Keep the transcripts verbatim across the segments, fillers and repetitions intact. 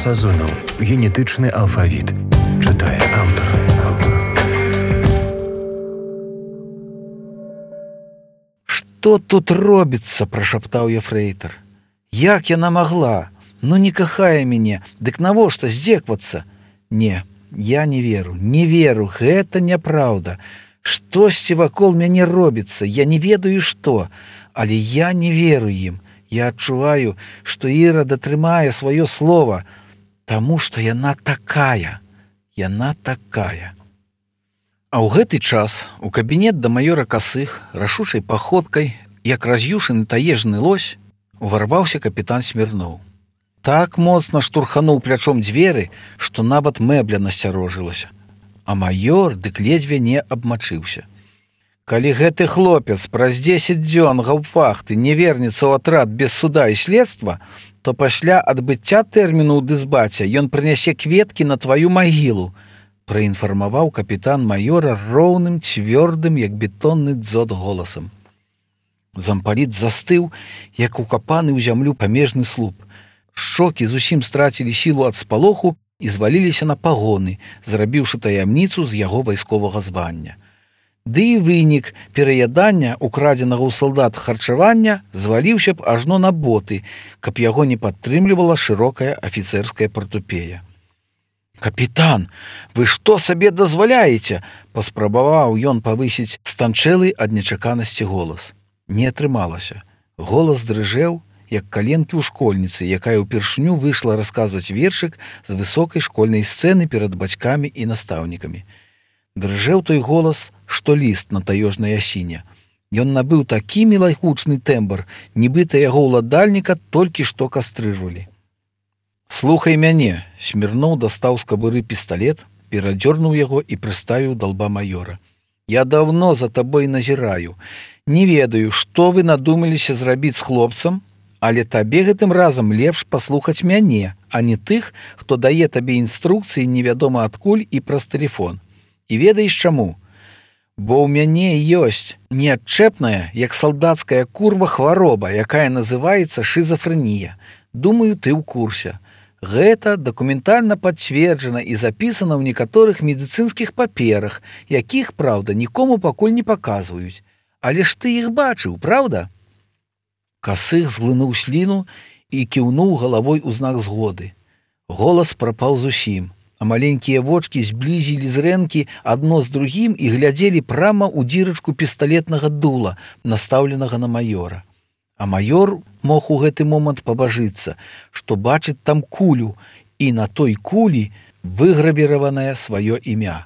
Сазонаў. Генетычны алфавіт. Чытае аўтар. «Што тут робіцца?» – прашаптаў ефрэйтар. «Як яна магла? Ну не кахае мяне, дык навошта здзеквацца? Не, я не веру, не веру, гэта няпраўда. Штосьці вакол мяне робіцца, я не ведаю што, але я не веру ім. Я адчуваю, што Іра датрымае сваё слова, таму што яна такая, яна такая». А ў гэты час у кабінет да маёра Касых рашучай паходкай, як раз'юшаны таежны лось, уварваўся капітан Смірноў. Так моцна штурхануў плячом дзверы, што нават мэбля насцярожылася. А маёр дык ледзьве не абмачыўся. «Калі гэты хлопец праз дзесяць дзён гаўпвахты не вернецца ў атрад без суда і следства, то пасля адбыцця тэрміну ў дысбаце ён прынясе кветкі на тваю магілу», праінфармаваў капітан маёра роўным, цвёрдым, як бетонны дзот голасам. Зампаліт застыў, як укапаны ў зямлю памежны слуп. Шчокі зусім страцілі сілу ад спалоху і зваліліся на пагоны, зрабіўшы таямніцу з яго вайсковага звання. Ды і вынік пераядання украдзенага ў салдат харчавання зваліўся б ажно на боты, каб яго не падтрымлівала шырокая афіцэрская партупея. «Капітан, вы што сабе дазваляеце?» – паспрабаваў ён павысіць станчэлы ад нечаканасці голас. Не атрымалася. Голас дрыжэў, як каленкі ў школьніцы, якая ўпершыню выйшла расказваць вершык з высокай школьнай сцэны перад бацькамі і настаўнікамі. Дрыжэў той голас, што ліст на таёжнай асіне. Ён набыў такі мілагучны тэмбр, нібыта яго ўладальніка толькі што кастрыжвалі. «Слухай мяне!» – Смірноў дастаў з кабуры пісталет, перадзёрнуў яго і прыставіў да лба маёра. «Я даўно за табой назіраю. Не ведаю, што вы надумаліся зрабіць з хлопцам, але табе гэтым разам лепш паслухаць мяне, а не тых, хто дае табе інструкцыі невядома адкуль і праз тэлефон. І ведаеш чаму? Бо ў мяне ёсць неадчэпная, як салдацкая курва, хвароба, якая называецца шызафрэнія. Думаю, ты ў курсе. Гэта дакументальна пацверджана і запісана ў некаторых медыцынскіх паперах, якіх, праўда, нікому пакуль не паказваюць. Але ж ты іх бачыў, праўда?» Касых зглынуў сліну і кіўнуў галавой у знак згоды. Голас прапаў зусім, а маленькія вочкі зблізілі зрэнкі адно з другім і глядзелі прама ў дзірачку пісталетнага дула, настаўленага на маёра. А маёр мог у гэты момант пабажыцца, што бачыць там кулю, і на той кулі выгравіраванае сваё імя.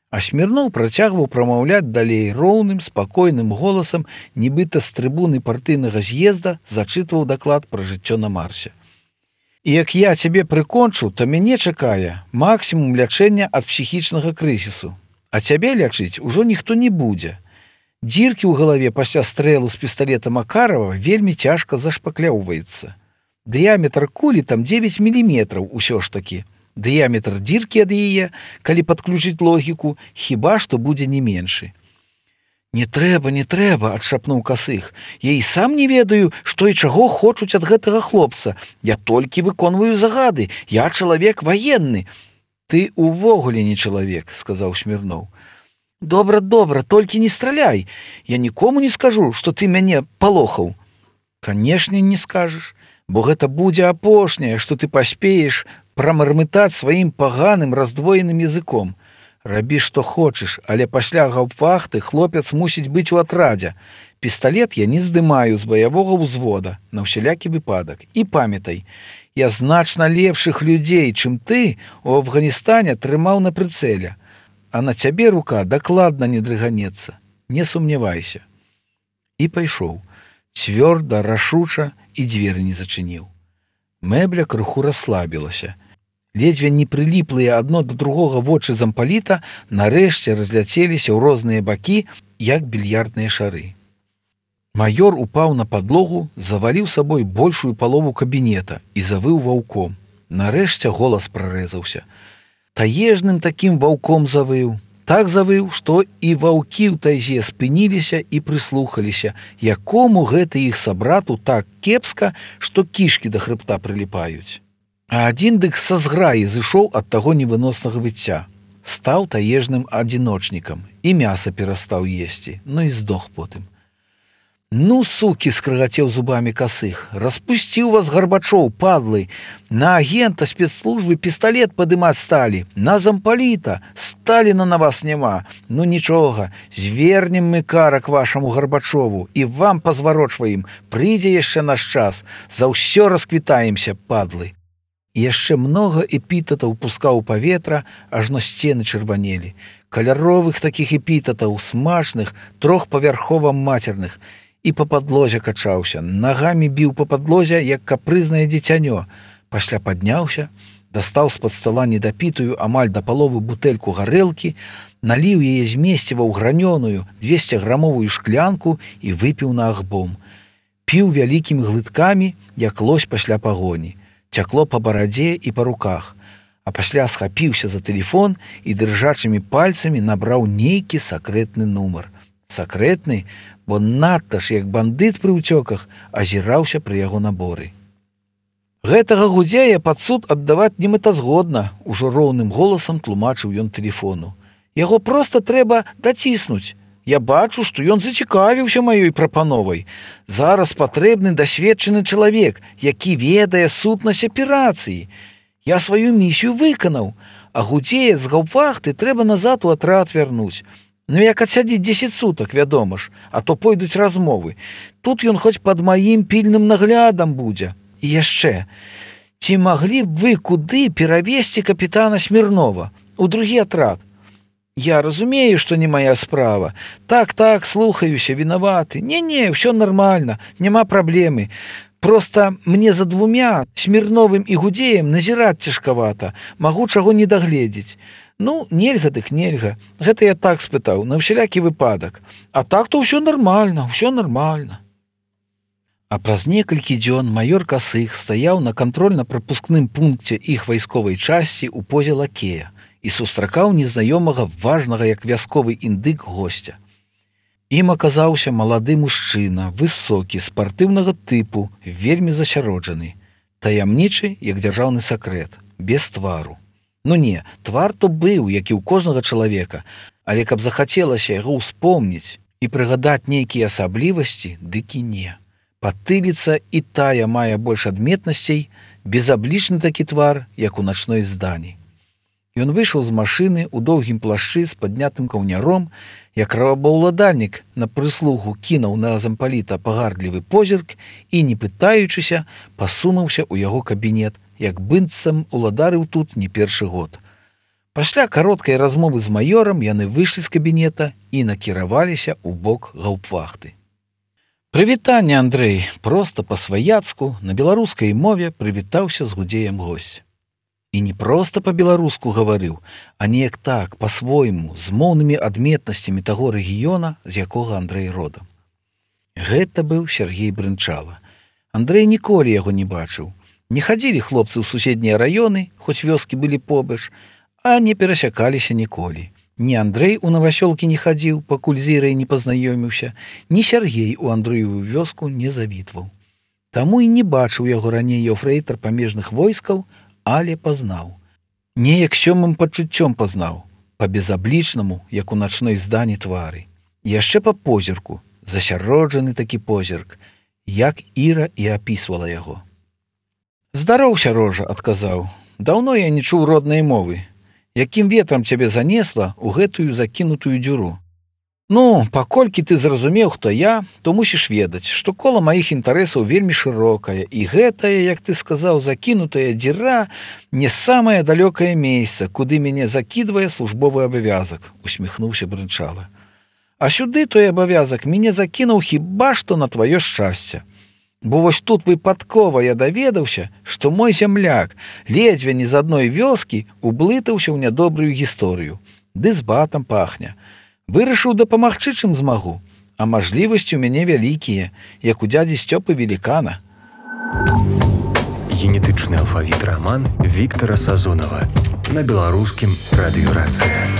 А Смірноў працягваў прамаўляць далей роўным, спакойным голасам, нібыта з трыбуны партыйнага з'езда зачытваў даклад пра жыццё на Марсе. «І як я цябе прыкончу, то мяне чакае максімум лячэння ад псіхічнага крызісу, а цябе лячыць ужо ніхто не будзе. Дзіркі ў галаве пасля стрэлу з пісталета Макарова вельмі цяжка зашпакляўваюцца. Дыяметр кулі там дзевяць міліметраў усё ж такі. Дыяметр дзіркі ад яе, калі падключыць логіку, хіба што будзе не меншы». «Не трэба, не трэба», – адшапнуў Касых. «Я і сам не ведаю, што і чаго хочуць ад гэтага хлопца. Я толькі выконваю загады, я чалавек ваенны». «Ты увогуле не чалавек», – сказаў Смірноў. «Добра, добра, толькі не страляй. Я нікому не скажу, што ты мяне палохаў». «Канешне, не скажаш, бо гэта будзе апошняе, што ты паспееш прамармытаць сваім паганым раздвоеным языком. Рабі, што хочаш, але пасля гаўпвахты хлопец мусіць быць у атрадзе. Пісталет я не здымаю з баявога ўзвода, на ўсялякі выпадак. І памятай, я значна лепшых людзей, чым ты, у Афганістане трымаў на прыцэле. А на цябе рука дакладна не дрыганецца. Не сумнявайся». І пайшоў. Цвёрда, рашуча, і дзверы не зачыніў. Мэбля крыху расслабілася. Ледзьве не прыліплыя адно да другога вочы зампаліта нарэшце разляцеліся ў розныя бакі, як більярдныя шары. Маёр упаў на падлогу, заваліў сабой большую палову кабінета і завыў ваўком. Нарэшце голас прарэзаўся. Таежным такім ваўком завыў, так завыў, што і ваўкі ў тайзе спыніліся і прыслухаліся, якому гэты іх сабрату так кепска, што кішкі да хрыбта прыліпаюць. А адзін дык са зграі зышоў ад таго невыноснага выцця. Стаў таежным адзіночнікам і мяса перастаў есці, ну і здох потым. «Ну, сукі!» — скрыгацеў зубамі Касых. «Распусціў вас Гарбачоў, падлы! На агента спецслужбы пісталет падымаць сталі! На зампаліта! Сталіна на вас няма! Ну нічога, звернем мы карак вашаму Гарбачову і вам пазварочваем, прыйдзе яшчэ наш час, за ўсё расквітаемся, падлы!» І яшчэ многа эпітатаў пускаў у паветра, ажно сцены чырванелі. Каляровых такіх эпітатаў, смачных, трохпавярхова-мацерных. І па падлозе качаўся, нагамі біў па падлозе, як капрызнае дзіцянё. Пасля падняўся, дастаў з-пад стала недапітую амаль да паловы бутэльку гарэлкі, наліў яе з месціва ў гранёную двесціграмовую шклянку і выпіў на агбом. Піў вялікімі глыткамі, як лось пасля пагоні. Цякло па барадзе і па руках. А пасля схапіўся за тэлефон і дрыжачымі пальцамі набраў нейкі сакрэтны нумар. Сакрэтны, бо надта ж, як бандыт пры ўцёках, азіраўся пры яго наборы. «Гэтага гудзея пад суд аддаваць немэтазгодна», — ужо роўным голасам тлумачыў ён тэлефону. «Яго проста трэба даціснуць. Я бачу, што ён зацікавіўся маёй прапановай. Зараз патрэбны дасведчаны чалавек, які ведае сутнасць аперацыі. Я сваю місію выканаў, а гудзея з гаўпвахты трэба назад у атрад вярнуць. Ну як адсядзіць дзесяць сутак, вядома ж, а то пойдуць размовы. Тут ён хоць пад маім пільным наглядам будзе. І яшчэ, ці маглі б вы куды перавесці капітана Смірнова, у другі атрад? Я разумею, што не моя справа. Так-так, слухаюся, вінаваты. Не-не, ўсё нармальна, няма праблемы. Проста мне за двумя, Смірновым і Гудзеем, назіраць цяжкавата, магу чаго не дагледзець. Ну, нельга дык нельга. Гэта я так спытаў, на ўсялякі выпадак. А так-то ўсё нармальна, ўсё нармальна». А праз некалькі дзён маёр Касых стаяў на кантрольна-прапускным пункце іх вайсковай часці ў позе лакея і сустракаў незнаёмага важнага, як вясковы індык, госця. Ім аказаўся малады мужчына, высокі, спартыўнага тыпу, вельмі засяроджаны, таямнічы, як дзяржаўны сакрэт, без твару. Ну не, твар то быў, як і ў кожнага чалавека, але каб захацелася яго ўспомніць і прыгадаць нейкія асаблівасці, дык і не. Патыліца і тая мае больш адметнасцей, безаблічны такі твар, як у начной здані. Ён выйшаў з машыны ў доўгім плашчы з паднятым каўняром, як рабаўладальнік на прыслугу кінуў на зампаліта пагардлівы позірк і, не пытаючыся, пасунуўся ў яго кабінет, як быццам уладарыў тут не першы год. Пасля кароткай размовы з маёрам яны выйшлі з кабінета і накіраваліся ў бок гаўпвахты. «Прывітанне, Андрэй!» — проста па-сваяцку на беларускай мове прывітаўся з Гудзеем госць. І не проста па-беларуску гаварыў, а неяк так, па-свойму, з моўнымі адметнасцямі таго рэгіёна, з якога Андрэй родам. Гэта быў Сергей Брынчала. Андрэй ніколі яго не бачыў. Не хадзілі хлопцы ў суседнія раёны, хоць вёскі былі побач, а не перасякаліся ніколі. Ні Андрэй у Навасёлкі не хадзіў, пакуль з Ірай не пазнаёміўся, ні Сергей у Андрэевую вёску не завітваў. Таму і не бачыў яго раней ефрэйтар памежных войскаў, але пазнаў. Неяк сёмым пачуццём пазнаў, па-безаблічнаму, як у начной здані твары. І яшчэ па позірку, засяроджаны такі позірк, як Іра і апісвала яго. «Здароў, Сярожа!» — адказаў. «Даўно я не чуў роднай мовы. Якім ветрам цябе занесла ў гэтую закінутую дзюру? Ну, паколькі ты зразумеў, хто я, то мусіш ведаць, што кола маіх інтарэсаў вельмі шырокае, і гэтая, як ты сказаў, закінутая дзіра не самае далёкае месца, куды мяне закідвае службовы абавязак», — усміхнуўся Брынчала. «А сюды той абавязак мяне закінуў хіба што на тваё шчасце. Бо вось тут выпадкова я даведаўся, што мой зямляк ледзьве не з адной вёскі ублытаўся ў нядобрую гісторыю, ды з батам пахне. Вырашыў дапамагчы, чым змагу, а мажлівасці ў мяне вялікія, як у дзядзі Сцёпы Велікана». Генетычны алфавіт раман Віктара Сазонава на беларускім радыёрацыя.